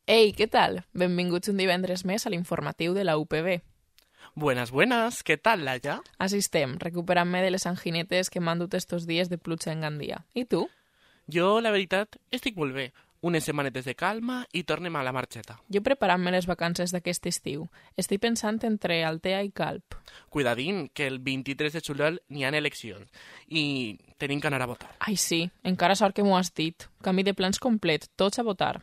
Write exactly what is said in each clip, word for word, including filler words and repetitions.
Ei, què tal? Benvinguts un divendres més a l'informatiu de la U P B. Buenas, buenas. ¿Qué tal, Laia? Així estem, recuperant-me de les anginetes que m'han dut estos dies de pluja en Gandia. I tu? Jo, la veritat, estic molt bé. Unes setmanetes de calma i tornem a la marxeta. Jo preparant-me les vacances d'aquest estiu. Estic pensant entre Altea i Calp. Cuidadín, que el vint-i-tres de juliol n'hi ha eleccions i tenim que anar a votar. Ai, sí, encara sort que m'ho has dit. Canvi de plans complet, tots a votar.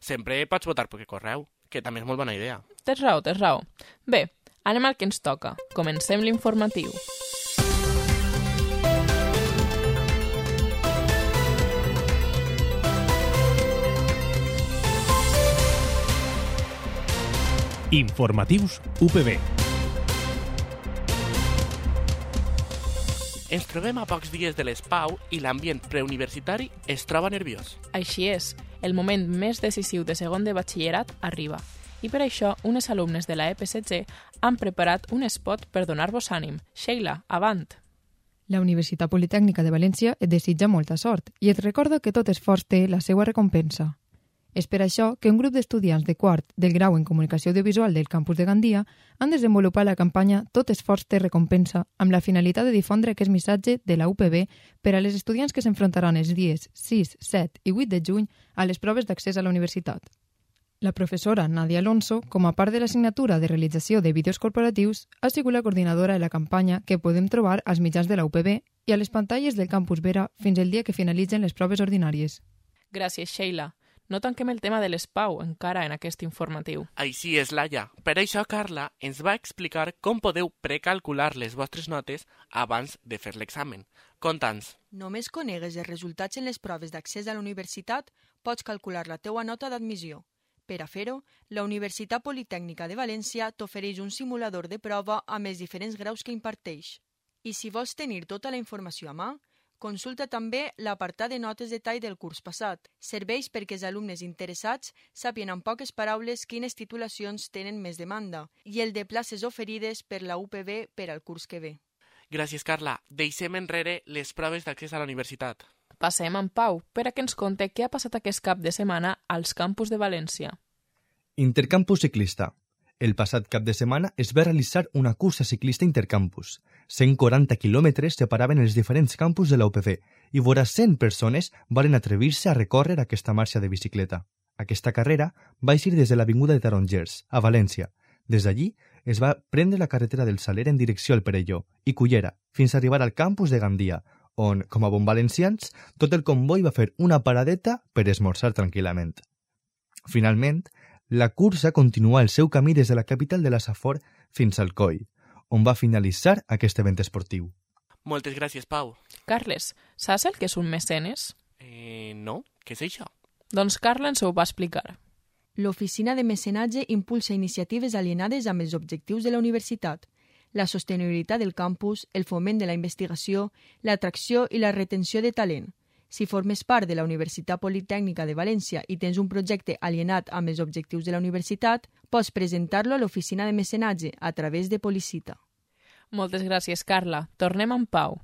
Sempre pots votar per correu, que també és molt bona idea. Tens raó, tens raó. Bé, anem al que ens toca. Comencem l'informatiu. Informatius U P B. Ens trobem a pocs dies de les Pau i l'ambient preuniversitari es troba nerviós. Així és, el moment més decisiu de segon de batxillerat arriba. I per això, unes alumnes de la E P S G han preparat un spot per donar-vos ànim. Sheila, avant! La Universitat Politècnica de València et desitja molta sort i et recorda que tot esforç té la seva recompensa. És per això que un grup d'estudiants de quart del grau en Comunicació Audiovisual del campus de Gandia han desenvolupat la campanya Tot esforç té recompensa amb la finalitat de difondre aquest missatge de la U P B per a les estudiants que s'enfrontaran els dies sis, set i vuit de juny a les proves d'accés a la universitat. La professora Nadia Alonso, com a part de l'assignatura de realització de vídeos corporatius, ha sigut la coordinadora de la campanya que podem trobar als mitjans de la U P B i a les pantalles del campus Vera fins el dia que finalitzen les proves ordinàries. Gràcies, Sheila. No tanquem el tema de les Pau encara en aquest informatiu. Així és, Laia. Per això, Carla ens va explicar com podeu precalcular les vostres notes abans de fer l'examen. Conta'ns. Només conegues els resultats en les proves d'accés a la universitat, pots calcular la teua nota d'admissió. Per a fer-ho, la Universitat Politècnica de València t'ofereix un simulador de prova amb els diferents graus que imparteix. I si vols tenir tota la informació a mà, consulta també l'apartat de notes de tall del curs passat. Serveix perquè els alumnes interessats sàpien en poques paraules quines titulacions tenen més demanda i el de places oferides per la U P B per al curs que ve. Gràcies, Carla. Deixem enrere les proves d'accés a la universitat. Passem en Pau per a que ens conte què ha passat aquest cap de setmana als campus de València. Intercampus ciclista. El passat cap de setmana es va realitzar una cursa ciclista intercampus. cent quaranta quilòmetres separaven els diferents campus de la U P B i vora cent persones varen atrevir-se a recórrer aquesta marxa de bicicleta. Aquesta carrera va eixir des de l'avinguda de Tarongers, a València. Des d'allí es va prendre la carretera del Saler en direcció al Perelló i Cullera, fins a arribar al campus de Gandia, on, com a bon valencians, tot el comboi va fer una paradeta per esmorzar tranquil·lament. Finalment, la cursa continua el seu camí des de la capital de la Safor fins al Coi, on va finalitzar aquest event esportiu. Moltes gràcies, Pau. Carles, saps el que és un mecenes? Eh, no? Què és això? Doncs Carla ens ho va explicar. L'Oficina de Mecenatge impulsa iniciatives alienades amb els objectius de la universitat, la sostenibilitat del campus, el foment de la investigació, l'atracció i la retenció de talent. Si formes part de la Universitat Politècnica de València i tens un projecte alienat amb els objectius de la universitat, pots presentar-lo a l'Oficina de Mecenatge a través de Policita. Moltes gràcies, Carla. Tornem amb Pau.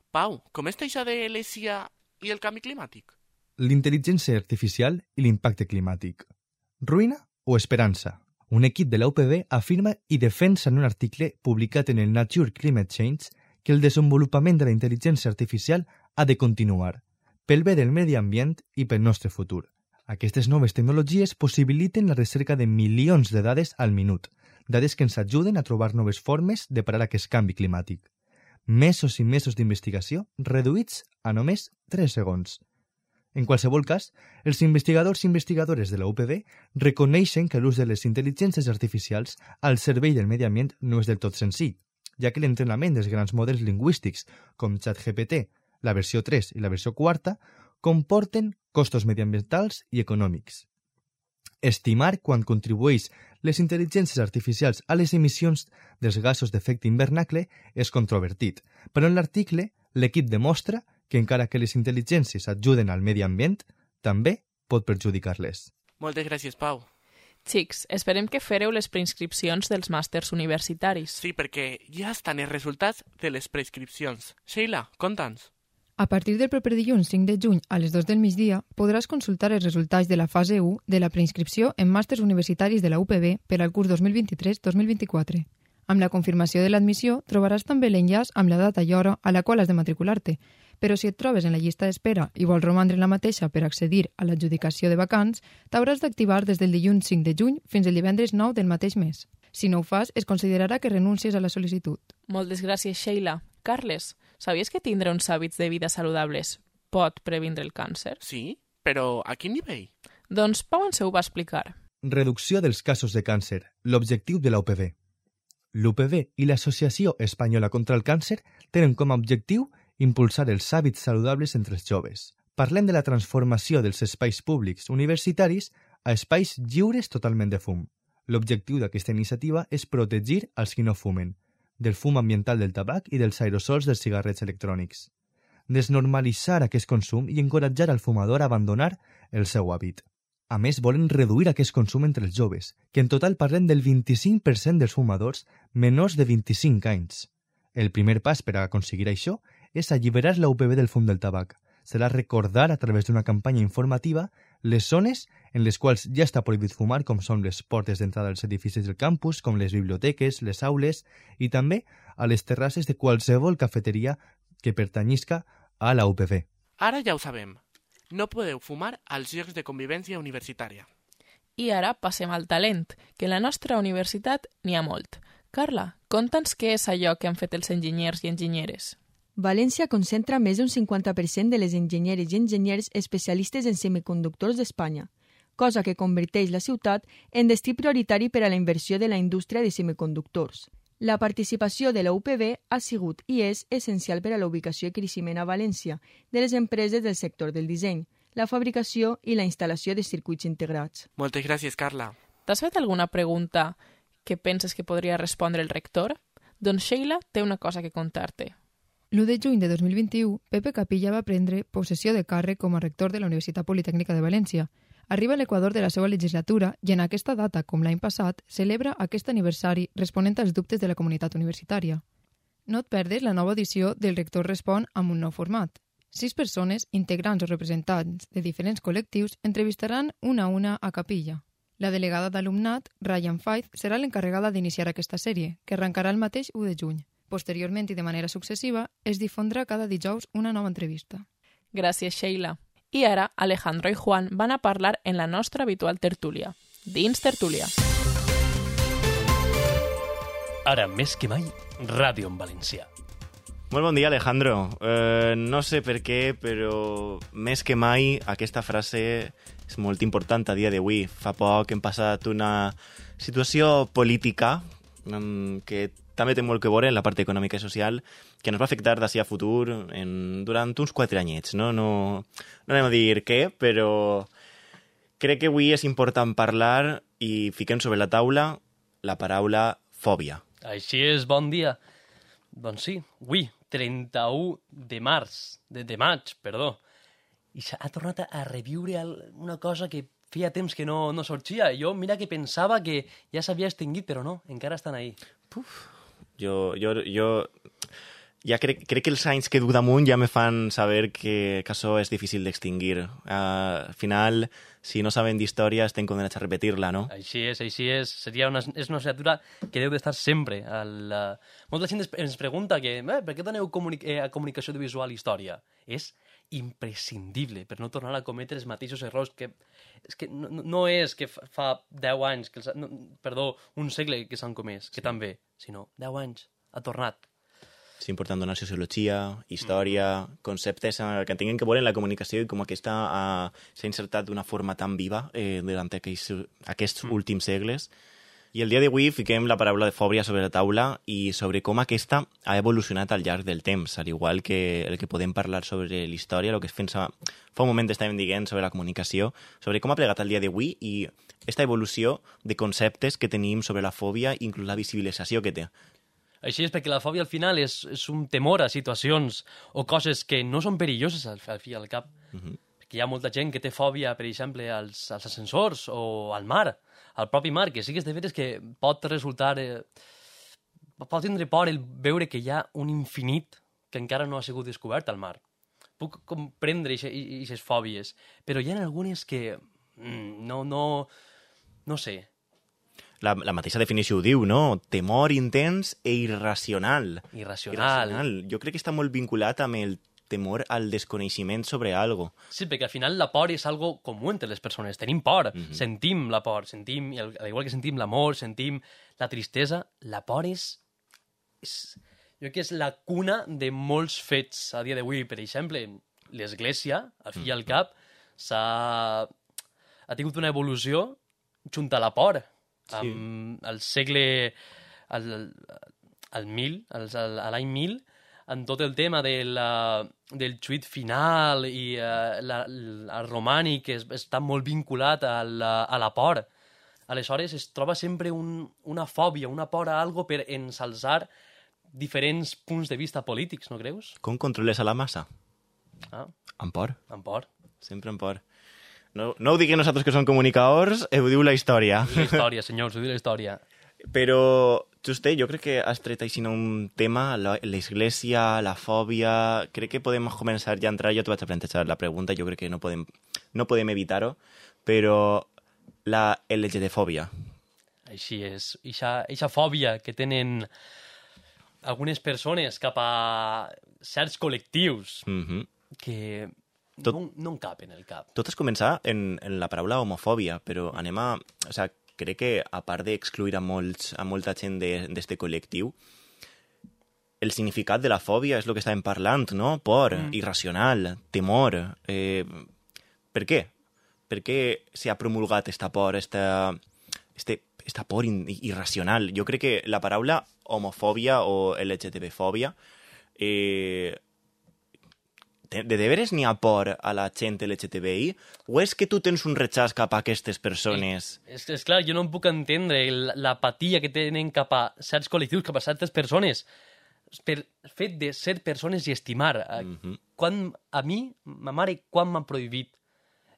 Pau, com està això de l'E S I A i el canvi climàtic? L'intel·ligència artificial i l'impacte climàtic. Ruïna o esperança? Un equip de la U P B afirma i defensa en un article publicat en el Nature Climate Change que el desenvolupament de la intel·ligència artificial ha de continuar, pel bé del medi ambient i pel nostre futur. Aquestes noves tecnologies possibiliten la recerca de milions de dades al minut, dades que ens ajuden a trobar noves formes de parar aquest canvi climàtic. Mesos i mesos d'investigació reduïts a només tres segons. En qualsevol cas, els investigadors i investigadores de la U P B reconeixen que l'ús de les intel·ligències artificials al servei del medi ambient no és del tot senzill, ja que l'entrenament dels grans models lingüístics com ChatGPT, la versió tres i la versió quarta, comporten costos mediambientals i econòmics. Estimar quan contribueix les intel·ligències artificials a les emissions dels gasos d'efecte hivernacle és controvertit, però en l'article l'equip demostra que encara que les intel·ligències ajuden al medi ambient, també pot perjudicar-les. Moltes gràcies, Pau. Xics, esperem que fareu les preinscripcions dels màsters universitaris. Sí, perquè ja estan els resultats de les preinscripcions. Sheila, conta'ns. A partir del proper dilluns cinc de juny a les dues del migdia podràs consultar els resultats de la fase u de la preinscripció en màsters universitaris de la U P B per al curs dos mil vint-i-tres dos mil vint-i-quatre. Amb la confirmació de l'admissió trobaràs també l'enllaç amb la data i hora a la qual has de matricular-te, però si et trobes en la llista d'espera i vols romandre en la mateixa per accedir a l'adjudicació de vacants, t'hauràs d'activar des del dilluns cinc de juny fins al divendres nou del mateix mes. Si no ho fas, es considerarà que renuncies a la sol·licitud. Moltes gràcies, Sheila. Carles, sabies que tindre uns hàbits de vida saludables pot previndre el càncer? Sí? Però a quin nivell? Doncs Pau ens ho va explicar. Reducció dels casos de càncer, l'objectiu de la U P B. L'U P B i l'Associació Espanyola contra el Càncer tenen com a objectiu impulsar els hàbits saludables entre els joves. Parlem de la transformació dels espais públics universitaris a espais lliures totalment de fum. L'objectiu d'aquesta iniciativa és protegir els qui no fumen, del fum ambiental del tabac i dels aerosols dels cigarrets electrònics. Desnormalitzar aquest consum i encoratjar al fumador a abandonar el seu hàbit. A més, volen reduir aquest consum entre els joves, que en total parlem del vint-i-cinc per cent dels fumadors menors de vint-i-cinc anys. El primer pas per a aconseguir això és alliberar la U P B del fum del tabac. Serà recordar a través d'una campanya informativa les zones en les quals ja està prohibit fumar, com són les portes d'entrada als edificis del campus, com les biblioteques, les aules i també a les terrasses de qualsevol cafeteria que pertanyisca a la U P B. Ara ja ho sabem. No podeu fumar als llocs de convivència universitària. I ara passem al talent, que en la nostra universitat n'hi ha molt. Carla, conta'ns què és allò que han fet els enginyers i enginyeres. València concentra més d'un cinquanta per cent de les enginyeres i enginyers especialistes en semiconductors d'Espanya, cosa que converteix la ciutat en destí prioritari per a la inversió de la indústria de semiconductors. La participació de la U P B ha sigut i és essencial per a la ubicació i creixement a València de les empreses del sector del disseny, la fabricació i la instal·lació de circuits integrats. Moltes gràcies, Carla. T'has fet alguna pregunta que penses que podria respondre el rector? Doncs Sheila té una cosa que contar-te. l'u de juny de dos mil vint-i-u, Pepe Capilla va prendre possessió de càrrec com a rector de la Universitat Politècnica de València. Arriba a l'equador de la seva legislatura i en aquesta data, com l'any passat, celebra aquest aniversari responent als dubtes de la comunitat universitària. No et perdes la nova edició del Rector Respon amb un nou format. Sis persones, integrants o representants de diferents col·lectius, entrevistaran una a una a Capilla. La delegada d'alumnat, Ryan Faith, serà l'encarregada d'iniciar aquesta sèrie, que arrencarà el mateix u de juny. Posteriorment i de manera successiva, es difondrà cada dijous una nova entrevista. Gràcies, Sheila. I ara, Alejandro i Juan van a parlar en la nostra habitual tertúlia. Dins tertúlia. Ara, més que mai, ràdio en valencià. Molt bon dia, Alejandro. Eh, no sé per què, però més que mai aquesta frase és molt important a dia d'avui. Fa poc hem passat una situació política um, que també té molt que veure en la part econòmica i social, que ens va afectar d'ací a futur en, durant uns quatre anyets. No? No, no anem a dir què, però crec que avui és important parlar i fiquem sobre la taula la paraula fòbia. Així és, bon dia. Doncs sí, avui, trenta-u de març, de, de maig, perdó, i s'ha tornat a reviure una cosa que feia temps que no, no sorgia. Jo, mira que pensava que ja s'havia extingit, però no, encara estan ahí. Puf. Jo, jo, jo ja crec, crec que els anys que duc damunt ja me fan saber que, que això és difícil d'extingir. Uh, al final, si no saben d'història, estem condenats a repetir-la, no? Així és, així és. Seria una, és una assignatura que deu d'estar sempre. Al, uh... Molta gent ens pregunta que, eh, per què doneu comuni eh, a comunicació audiovisual història? És imprescindible per no tornar a cometre els mateixos errors que... És que no, no és que fa deu anys, que els, no, perdó, un segle que s'han comès, que també, sinó deu anys, ha tornat. És important donar sociologia, història, mm. conceptes que tinguin que veure en la comunicació i com aquesta uh, s'ha insertat d'una forma tan viva eh, durant aquests, aquests mm. últims segles. I el dia d'avui fiquem la paraula de fòbia sobre la taula i sobre com aquesta ha evolucionat al llarg del temps, al igual que el que podem parlar sobre la història, el que es pensa, fa un moment estàvem dient sobre la comunicació, sobre com ha plegat el dia d'avui i aquesta evolució de conceptes que tenim sobre la fòbia, inclús la visibilització que té. Així és, perquè la fòbia al final és, és un temor a situacions o coses que no són perilloses al, al fi i al cap. Uh-huh. Perquè hi ha molta gent que té fòbia, per exemple, als, als ascensors o al mar, al propi mar, que sí que és de veres que pot resultar... Eh, pot tindre por el veure que hi ha un infinit que encara no ha sigut descobert al mar. puc comprendre aquestes fòbies, però hi ha algunes que mm, no, no, no sé. La, la mateixa definició ho diu, no? Temor intens e irracional. Irracional. Irracional. Jo crec que està molt vinculat amb el temor al desconeixement sobre algo. Sí, perquè al final la por és algo comú entre les persones. Tenim por, Mhm. sentim la por, sentim, i al al igual que sentim l'amor, sentim la tristesa, la por és, és... Jo crec que és la cuna de molts fets a dia d'avui. Per exemple, l'Església, al fi i al cap, s'ha... ha tingut una evolució junt a la por. Sí. Amb el segle... al, al mil, al, a l'any mil, en tot el tema del, uh, del xuit final i uh, la, el romànic es, està molt vinculat a la, a la por. Aleshores, es troba sempre un, una fòbia, una por a algo per ensalzar diferents punts de vista polítics, no creus? Com controles a la massa? Ah, Amb por. amb por. Sempre amb por. No, no ho diguem nosaltres que som comunicadors, ho diu la història. La història, senyors, ho diu la història. Però, Juste, jo crec que has tret així un tema, la- l'església, la fòbia... Crec que podem començar ja a entrar, jo t'ho vaig a plantejar la pregunta, jo crec que no podem, no podem evitar-ho, però la L G B T fòbia. Així és. Eixa, eixa fòbia que tenen algunes persones cap a certs col·lectius Mm-hmm. que Tot- no, no en cap en el cap. Tot es comença en, en la paraula homofòbia, però anem a... O sea, crec que, a part d'excluir a, molts, a molta gent d'aquest col·lectiu, el significat de la fòbia és el que estàvem parlant, no? Por, mm. irracional, temor... Eh, per què? Per què s'ha promulgat esta por, esta, este, esta por in, irracional? Jo crec que la paraula homofòbia o L G B T fòbia eh, de, de deberes n'hi ha por a la gent L G T B I o és que tu tens un rechaç cap a aquestes persones? És, és clar, jo no em puc entendre el- l'apatia que tenen cap a certs col·lectius, cap a certes persones, per fet de ser persones i estimar. Mhm. Quan, a mi, ma mare, quan m'ha prohibit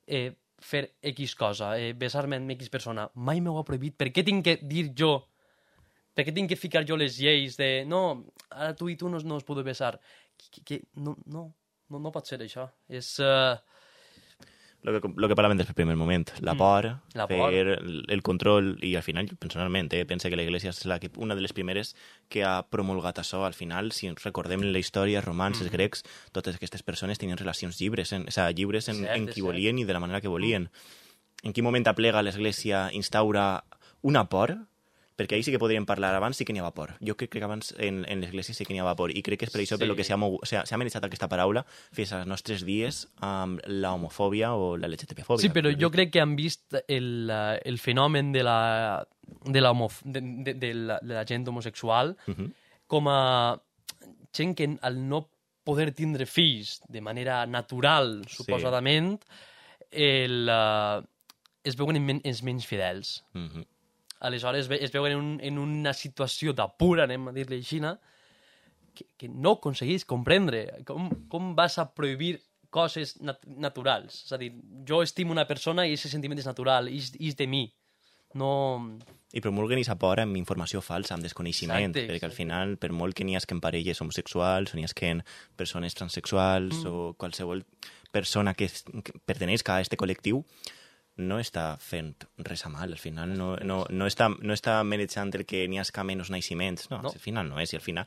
eh, fer X cosa, eh, besar-me amb X persona, mai m'ho ha prohibit. Per què tinc que dir jo? Per què tinc que ficar jo les lleis de no, ara tu i tu no, no us podeu besar? Que, que, no, no, no, no pot ser això. És... Uh, Lo que, lo que parlàvem des del primer moment, la por, La fer por. el, el control, i al final, jo personalment, eh, pense que la Iglesia és la que, una de les primeres que ha promulgat això. Al final, si ens recordem la història, romans, els grecs, totes aquestes persones tenien relacions llibres, en, o sea, lliures en, Cert, en és qui cert. volien i de la manera que volien. En quin moment aplega l'Església, instaura una por? Perquè ahir sí que podríem parlar, abans sí que n'hi havia por. Jo crec que abans en, en l'Església sí que n'hi havia por, i crec que és per això Sí. per lo que s'ha mogu- s'ha s'ha amenaçat aquesta paraula fins als nostres dies amb la homofòbia o la L G B T fòbia. Sí, però jo crec que han vist el, eh, el fenomen de la, de la, homof de, de, de, la, de la gent homosexual Mhm. com a gent que al no poder tindre fills de manera natural, suposadament, el, uh, es veuen en men els menys fidels. Mhm. Aleshores ve- es veuen en, un, en una situació d'apura, anem a dir-li així, que, que no aconseguís comprendre. Com, com vas a prohibir coses nat naturals? És a dir, jo estimo una persona i aquest sentiment és natural, és, és de mi. No... I promulguen aquesta por amb informació falsa, amb desconeixement, Exacte, perquè al exacte. final, per molt que n'hi hagi parelles homosexuals, o n'hi hagi persones transexuals, Mm. o qualsevol persona que, es- que perteneix a aquest col·lectiu, no està fent res a mal. Al final no, no, no, està, no està manejant el que n'hi hagi menys naixements. No, No. al final no és. I al final...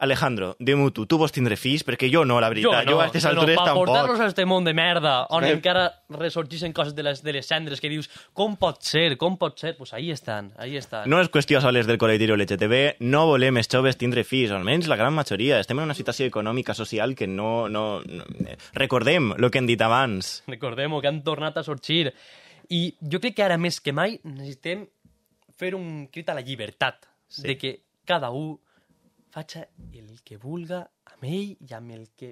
Alejandro, digue'm tu, tu vols tindre fills? Perquè jo no, la veritat. Jo, no, a aquestes però altures per tampoc. portar-los a este món de merda, on Eh. encara ressorgeixen coses de les, de les cendres que dius, com pot ser, com pot ser? Pues ahí estan, ahí estan. No és qüestió soles del col·lectiu L G T B, no volem els joves tindre fills, almenys la gran majoria. Estem en una situació econòmica, social, que no... no, no... Recordem el que hem dit abans. Recordem-ho, que han tornat a sorgir. I jo crec que ara més que mai necessitem fer un crit a la llibertat, Sí. de que cada un faci el que vulga amb ell i amb el que...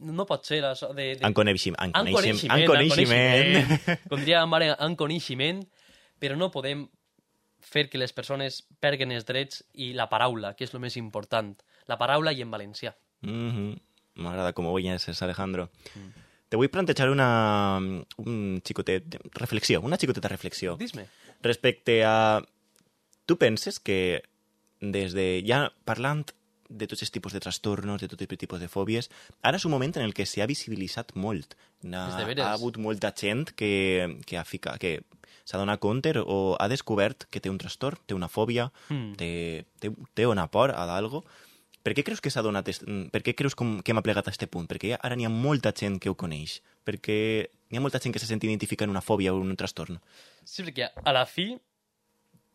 No pot ser això de... de... En coneixem, en En coneixem, coneixement, en coneixement. Com diria la mare, en coneixement, però no podem fer que les persones perguen els drets i la paraula, que és el més important. La paraula i en valencià. Mhm. M'agrada com ho veies, Alejandro. Te vull plantejar una, un xicotet, reflexió, una xicoteta reflexió. Dis-me. Respecte a... Tu penses que des de... Ja parlant de tots els tipus de trastornos, de tots els tipus de fòbies. Ara és un moment en el que s'ha visibilitzat molt. Ha, ha hagut molta gent que, que, ha ficat, que s'ha donat compte o ha descobert que té un trastorn, té una fòbia, mm. té, té, té una por a d'algo. Per què creus que s'ha donat... Per què creus com, que hem aplegat a aquest punt? Perquè ara n'hi ha molta gent que ho coneix. Perquè n'hi ha molta gent que se sent identificar en una fòbia o en un trastorn. Sí, perquè a la fi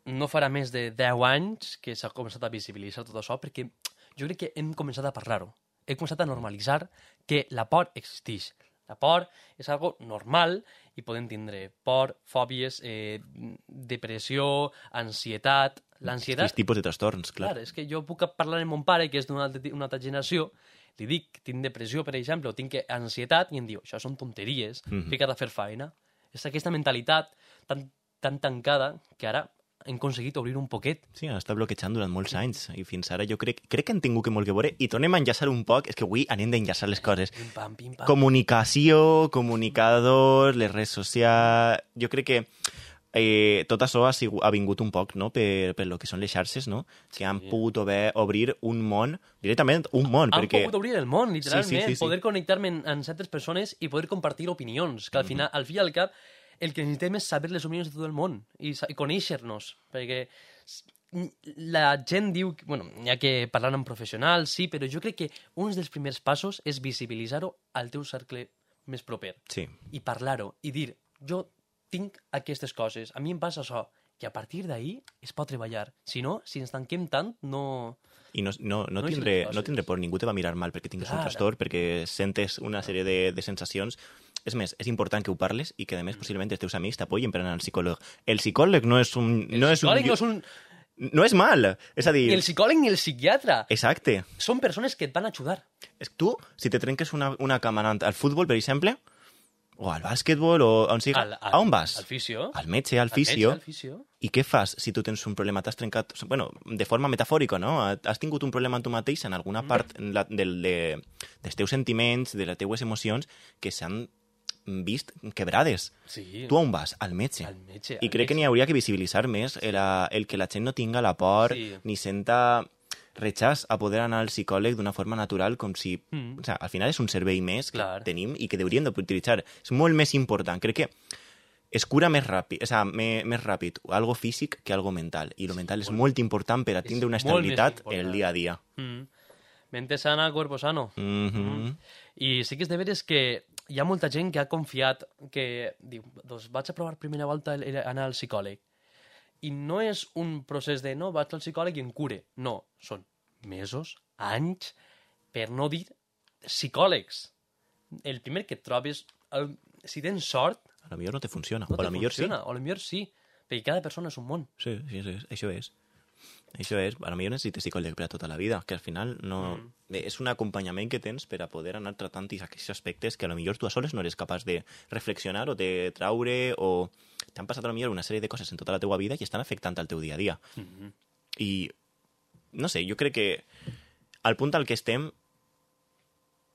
no farà més de deu anys que s'ha començat a visibilitzar tot això, perquè jo crec que hem començat a parlar-ho. Hem començat a normalitzar que la por existeix. La por és algo normal i podem tindre por, fòbies, eh, depressió, ansietat... L'ansietat... Aquests tipus de trastorns, clar. Clar, és que jo puc parlar amb mon pare, que és d'una una altra generació, li dic que tinc depressió, per exemple, o tinc ansietat, i em diu, això són tonteries, mm-hmm. fica't a fer feina. És aquesta mentalitat tan, tan tancada que ara hem aconseguit obrir un poquet. Sí, ha estat bloquejant durant molts anys i fins ara jo crec, crec que han tingut que molt que veure i tornem a enllaçar un poc, és que avui anem d'enllaçar les coses. Pim, pam, pim, pam. Comunicació, comunicadors, les redes socials... Jo crec que eh, tot això ha, sigut, ha vingut un poc no? per, per lo que són les xarxes, no? Que han sí. pogut obrir, obrir un món, directament un món. Han perquè... pogut obrir el món, literalment, sí, sí, sí, sí. poder connectar-me amb certes persones i poder compartir opinions, que al final, al fi i al cap, el que necessitem és saber les opinions de tot el món i, i conèixer-nos, perquè la gent diu... Bueno, hi ha que parlar amb professionals, sí, però jo crec que un dels primers passos és visibilitzar-ho al teu cercle més proper. Sí. I parlar-ho, i dir, jo tinc aquestes coses, a mi em passa això, i a partir d'ahir es pot treballar. Si no, si ens tanquem tant, no... I no, no, no, no, tindré, no tindré por, ningú te va mirar mal perquè tingues Clar. un trastorn, perquè sentes una sèrie de, de sensacions. És més, és important que ho parles i que, a més, possiblement els teus amics t'apoyen per anar al psicòleg. El psicòleg no és un... El no psicòleg és un... no és un... No és mal, és a dir... Ni el psicòleg ni el psiquiatre. Exacte. Són persones que et van ajudar. És tu, si te trenques una, una cama anant al futbol, per exemple, o al bàsquetbol, o on sigui, al, al, a on vas? Al fisio. Al metge, al fisio. Al metge, al fisio. I què fas si tu tens un problema? T'has trencat... Bueno, de forma metafòrica, no? Has tingut un problema en tu mateix, en alguna mm. part la, del, de, dels teus sentiments, de les teues emocions, que s'han vist quebrades. Sí. Tu on vas? Al metge. Al metge. I al crec metge. que n'hi hauria que visibilitzar més el, el que la gent no tinga la por, sí. ni senta rechaç a poder anar al psicòleg d'una forma natural, com si... Mm. O sea, al final és un servei més que Clar. tenim i que hauríem d'utilitzar. És molt més important. Crec que es cura més ràpid, o sea, més, més ràpid algo físic que algo mental. I lo sí, mental és molt, molt important per a tindre una estabilitat en el dia a dia. Mm. Mente sana, cuerpo sano. Mm -hmm. mm. I sí que és de veres que hi ha molta gent que ha confiat que diu, doncs vaig a provar primera volta anar al psicòleg. I no és un procés de, no, vaig al psicòleg i em cure. No, són mesos, anys, per no dir psicòlegs. El primer que et trobes, el, si tens sort... A lo millor no te funciona, no o a lo millor funciona, sí. O a lo millor sí, perquè cada persona és un món. Sí, sí, sí, això és. Això és, a lo millor necessites psicòleg per a tota la vida, que al final no... Mm. És un acompanyament que tens per a poder anar tratant aquests aspectes que a lo millor tu a soles no eres capaç de reflexionar o de traure o... T'han passat a lo millor una sèrie de coses en tota la teua vida i estan afectant al teu dia a dia. Mm -hmm. I, no sé, jo crec que al punt al que estem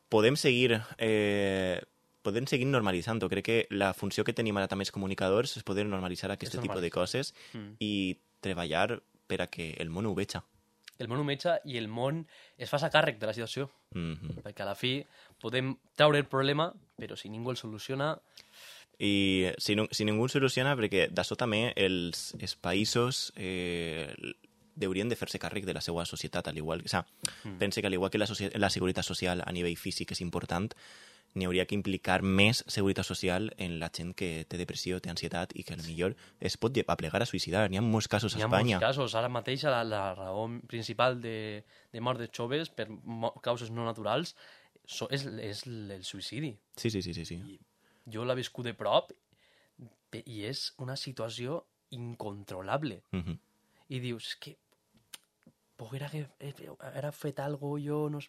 podem seguir... Eh, podem seguir normalitzant-ho. Crec que la funció que tenim ara també els comunicadors és poder normalitzar aquest tipus de coses mm. i treballar per a que el món ho veja. El món ho veja i el món es fa càrrec de la situació. Mm -hmm. Perquè a la fi podem treure el problema, però si ningú el soluciona... I si, no, si ningú el soluciona, perquè d'això també els, els països eh, haurien de fer-se càrrec de la seva societat, al igual, o sea, mm. pense que al igual que la, la seguretat social a nivell físic és important, n'hi hauria que implicar més seguretat social en la gent que té depressió, té ansietat i que potser es pot aplegar a suïcidar. N'hi ha molts casos a Espanya. N'hi ha molts casos. Ara mateix la, la raó principal de, de mort de joves per causes no naturals so, és, és el suïcidi. Sí, sí, sí. sí, sí. I jo l'he viscut de prop i és una situació incontrolable. Uh -huh. I dius, que poguera haver fet alguna cosa, jo no,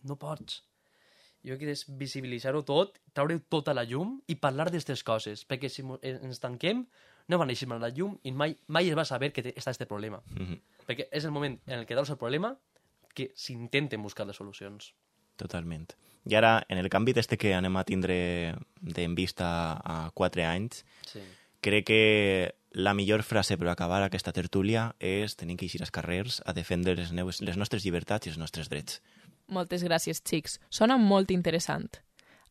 no pots. Jo crec que és visibilitzar-ho tot, treure tota la llum i parlar d'aquestes coses, perquè si ens tanquem no va néixer a la llum i mai, mai es va saber que està aquest problema. Uh -huh. Perquè és el moment en el que treus el problema que s'intenten buscar les solucions. Totalment. I ara, en el canvi d'este que anem a tindre en vista a quatre anys, sí. crec que la millor frase per acabar aquesta tertúlia és tenim que eixir als carrers a defendre les, neues, les nostres llibertats i els nostres drets. Moltes gràcies, xics. Sona molt interessant.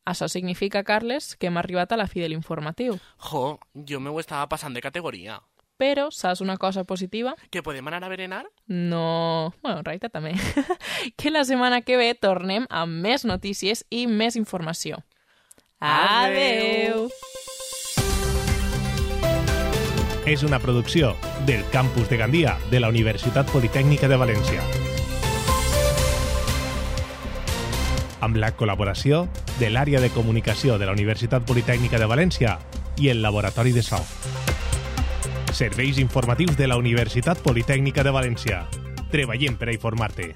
Això significa, Carles, que hem arribat a la fi de l'informatiu. Jo, jo me ho estava passant de categoria. Però, saps una cosa positiva? Que podem anar a berenar? No... Bueno, en realitat també. Que la setmana que ve tornem amb més notícies i més informació. Adeu! És una producció del Campus de Gandia de la Universitat Politècnica de València. Amb la col·laboració de l'àrea de comunicació de la Universitat Politècnica de València i el Laboratori de So. Serveis informatius de la Universitat Politècnica de València. Treballem per a informar-te.